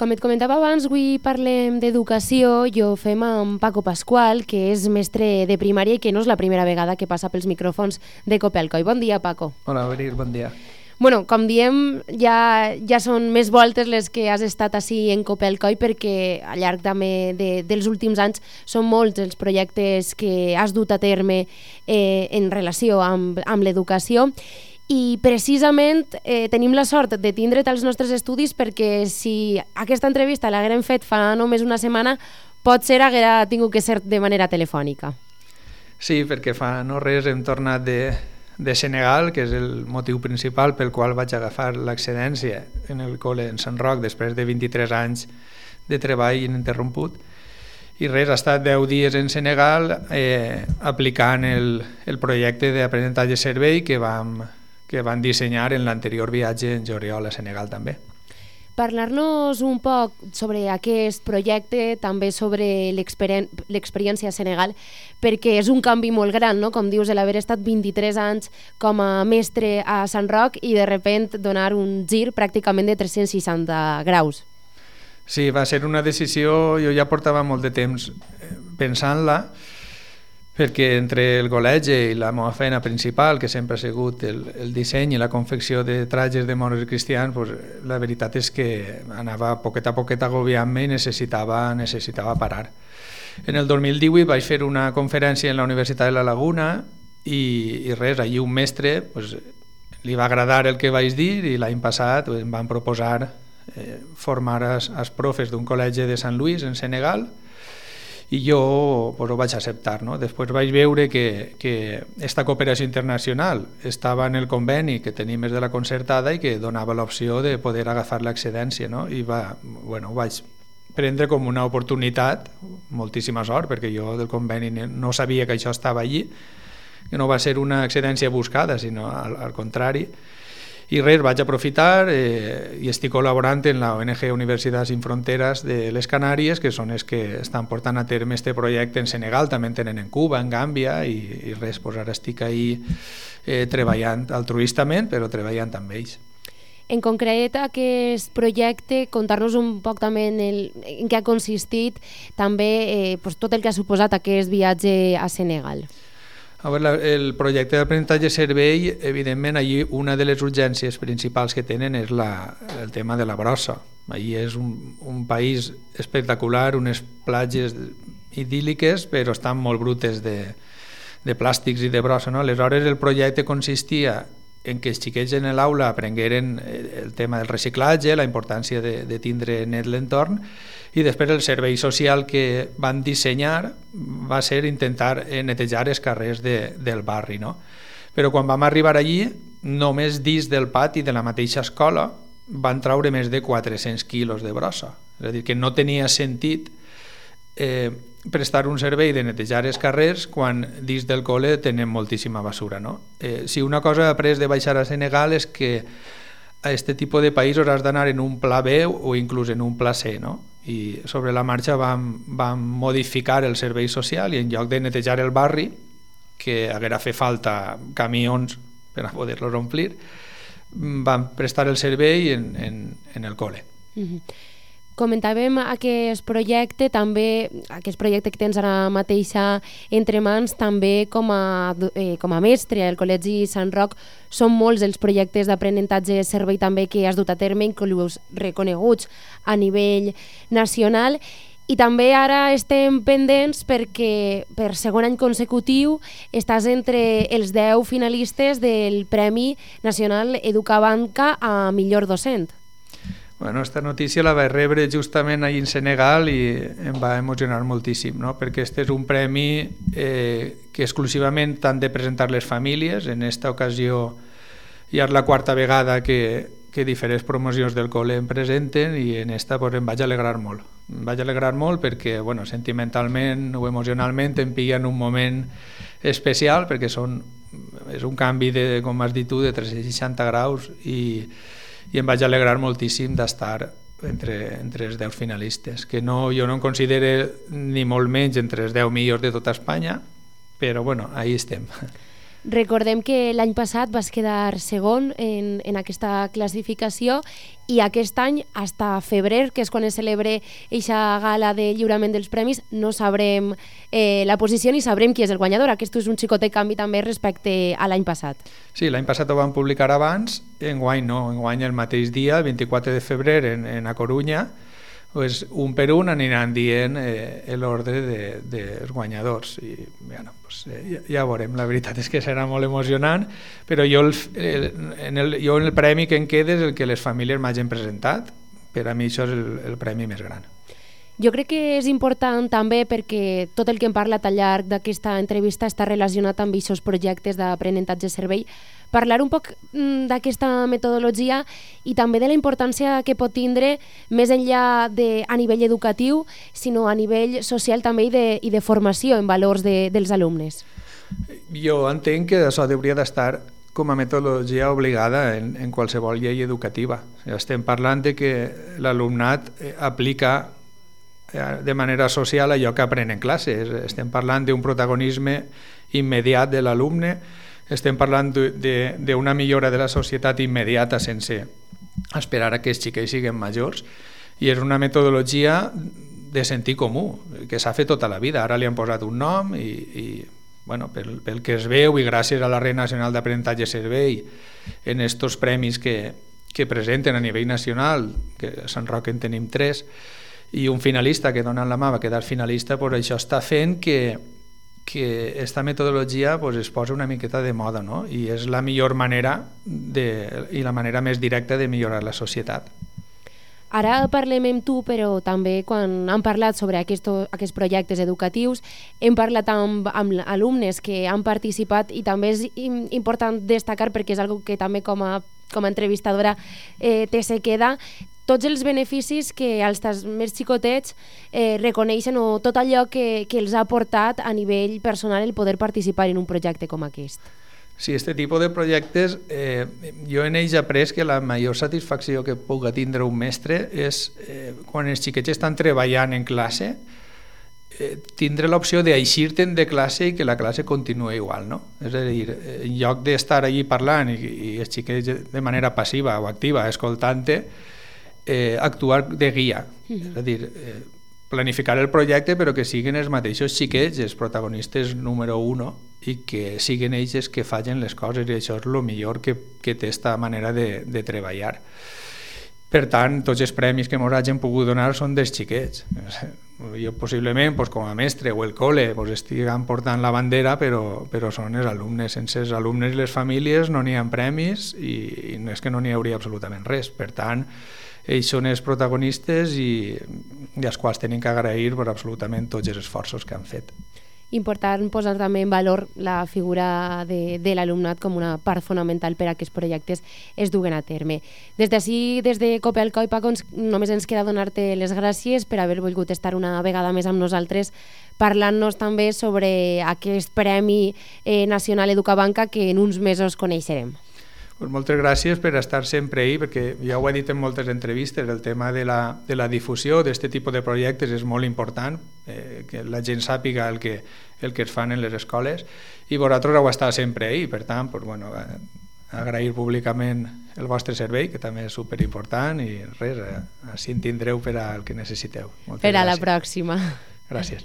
Com et comentava abans, avui parlem d'educació i ho fem amb Paco Pascual, que és mestre de primària i que no és la primera vegada que passa pels micròfons de Copelcoy. Bon dia, Paco. Hola, Berir, bon dia. Bueno, com diem, ja són més voltes les que has estat ací en Copelcoy perquè al llarg també dels últims anys són molts els projectes que has dut a terme en relació amb l'educació. I precisament tenim la sort de tindre't als nostres estudis perquè si aquesta entrevista l'haguérem fet fa només una setmana, potser haguera tingut que ser de manera telefònica. Sí, perquè fa no res hem tornat de Senegal, que és el motiu principal pel qual vaig agafar l'excedència en el col·le en Sant Roc després de 23 anys de treball ininterromput. I res, ha estat 10 dies en Senegal aplicant el projecte d'aprenentatge-servei que van dissenyar en l'anterior viatge en juliol a Senegal també. Parlar-nos un poc sobre aquest projecte, també sobre l'experiència a Senegal, perquè és un canvi molt gran, no? Com dius, l'haver estat 23 anys com a mestre a Sant Roc i de sobte donar un gir pràcticament de 360 graus. Sí, va ser una decisió, jo ja portava molt de temps pensant-la, perquè entre el col·legi i la meva feina principal, que sempre ha sigut el disseny i la confecció de trajes de moros i cristians, pues, la veritat és que anava poquet a poquet agobiant-me i necessitava parar. En el 2018 vaig fer una conferència en la Universitat de la Laguna i res, allí un mestre pues, li va agradar el que vaig dir i l'any passat em van proposar formar els profes d'un col·legi de Sant Louis en Senegal i jo pues, ho vaig acceptar. No? Després vaig veure que aquesta cooperació internacional estava en el conveni que tenim des de la concertada i que donava l'opció de poder agafar l'excedència. No? I ho vaig prendre com una oportunitat, moltíssima sort, perquè jo del conveni no sabia que això estava allí, que no va ser una excedència buscada, sinó al contrari. I res, vaig aprofitar i estic col·laborant en la ONG Universitats Sin Fronteres de les Canàries, que són els que estan portant a terme este projecte en Senegal, també en tenen en Cuba, en Gàmbia, i res, doncs ara estic ahí treballant altruistament, però treballant amb ells. En concret, aquest projecte, contar-nos un poc també en què ha consistit, també tot el que ha suposat aquest viatge a Senegal. A veure, el projecte d'aprenentatge-servei, evidentment, allí una de les urgències principals que tenen és el tema de la brossa. Allí és un país espectacular, unes platges idíl·liques, però estan molt brutes de plàstics i de brossa. No? Aleshores, el projecte consistia en que els xiquets en l'aula aprengueren el tema del reciclatge, la importància de tindre net l'entorn, i després el servei social que van dissenyar va ser intentar netejar els carrers del barri. No? Però quan vam arribar allí, només dins del pati de la mateixa escola van traure més de 400 quilos de brossa. És a dir, que no tenia sentit prestar un servei de netejar els carrers quan dins del col·le tenen moltíssima basura. No? Si una cosa he après de baixar a Senegal és que a aquest tipus de països has d'anar en un pla B o inclús en un pla C, no? I sobre la marxa vam modificar el servei social i en lloc de netejar el barri, que haguera fet falta camions per a poder-los omplir, vam prestar el servei en el col·le. Comentàvem aquest projecte que tens ara mateixa entre mans, també com a mestre al Col·legi Sant Roc. Són molts els projectes d'aprenentatge servei també que has dut a terme, inclús reconeguts a nivell nacional. I també ara estem pendents perquè per segon any consecutiu estàs entre els 10 finalistes del Premi Nacional Educabanca a millor docent. Bueno, esta notícia la vaig rebre justament ahir en Senegal i em va emocionar moltíssim, no? Perquè este és un premi que exclusivament han de presentar les famílies. En esta ocasió ja és la quarta vegada que diferents promocions del col·le em presenten i en esta pues, em vaig alegrar molt. Em vaig alegrar molt perquè bueno, sentimentalment o emocionalment em pilla en un moment especial perquè és un canvi, com has dit tu, de 360 graus i em vaig alegrar moltíssim d'estar entre els 10 finalistes, que jo no em considero ni molt menys entre els 10 millors de tota Espanya, però bueno, ahí estem. Recordem que l'any passat vas quedar segon en aquesta classificació i aquest any, fins a febrer, que és quan es celebra aquesta gala de lliurament dels premis, no sabrem la posició ni sabrem qui és el guanyador. Aquest és un xicotet canvi també respecte a l'any passat. Sí, l'any passat ho van publicar abans, enguany no, enguany el mateix dia, el 24 de febrer, en A Corunya, pues, un per un aniran dient l'ordre dels guanyadors i bueno, pues, ja veurem. La veritat és que serà molt emocionant, però jo en el premi que em queda és el que les famílies m'hagin presentat. Per a mi això és el premi més gran. Jo crec que és important també perquè tot el que hem parlat al llarg d'aquesta entrevista està relacionat amb aquests projectes d'aprenentatge-servei. Parlar un poc d'aquesta metodologia i també de la importància que pot tindre més enllà a nivell educatiu, sinó a nivell social també i de formació en valors dels alumnes. Jo entenc que això hauria d'estar com a metodologia obligada en qualsevol llei educativa. Estem parlant de que l'alumnat aplica de manera social allò que aprèn en classe. Estem parlant d'un protagonisme immediat de l'alumne, estem parlant d'una millora de la societat immediata sense esperar a que els xiquets siguin majors, i és una metodologia de sentit comú, que s'ha fet tota la vida. Ara li han posat un nom i bueno, pel que es veu, i gràcies a la Red Nacional d'Aprenentatge Servei, en estos premis que presenten a nivell nacional, que a Sant Roc en tenim 3, i un finalista que donant la mà va quedar finalista, pues això està fent que aquesta metodologia pues, es posa una miqueta de moda, no? I és la millor manera i la manera més directa de millorar la societat. Ara parlem amb tu, però també quan hem parlat sobre aquests projectes educatius hem parlat amb alumnes que han participat, i també és important destacar, perquè és una que també com a entrevistadora te se queda, tots els beneficis que els més xicotets reconeixen, o tot allò que els ha portat a nivell personal el poder participar en un projecte com aquest. Sí, aquest tipus de projectes, jo en ells he après que la major satisfacció que pugui tindre un mestre és quan els xiquets estan treballant en classe, tindre l'opció d'eixir-te'n de classe i que la classe continua igual, no? És a dir, en lloc d'estar allí parlant i els xiquets de manera passiva o activa escoltant-te, actuar de guia, és a dir, planificar el projecte però que siguin els mateixos xiquets els protagonistes número 1 i que siguin ells els que facin les coses, i això és el millor que té aquesta manera de treballar. Per tant, tots els premis que ens hagin pogut donar són dels xiquets. Jo possiblement com a mestre o el col·le estiguem portant la bandera, però són els alumnes. Sense els alumnes i les famílies no n'hi ha premis i no és que no n'hi hauria absolutament res. Per tant, ells són els protagonistes i als quals tenen que agrair per absolutament tots els esforços que han fet. Important posar també en valor la figura de l'alumnat com una part fonamental per a que els projectes es duguen a terme. Des d'ací, des de Copelco i Paco, només ens queda donar-te les gràcies per haver volgut estar una vegada més amb nosaltres parlant-nos també sobre aquest Premi Nacional Educabanca que en uns mesos coneixerem. Moltes gràcies per estar sempre ahí, perquè ja ho he dit en moltes entrevistes, el tema de la difusió d'aquest tipus de projectes és molt important, que la gent sàpiga el que es fan en les escoles, i vosaltres heu estat sempre ahí, per tant, agrair públicament el vostre servei, que també és superimportant, i res, així en tindreu per al que necessiteu. Per a la pròxima. Gràcies.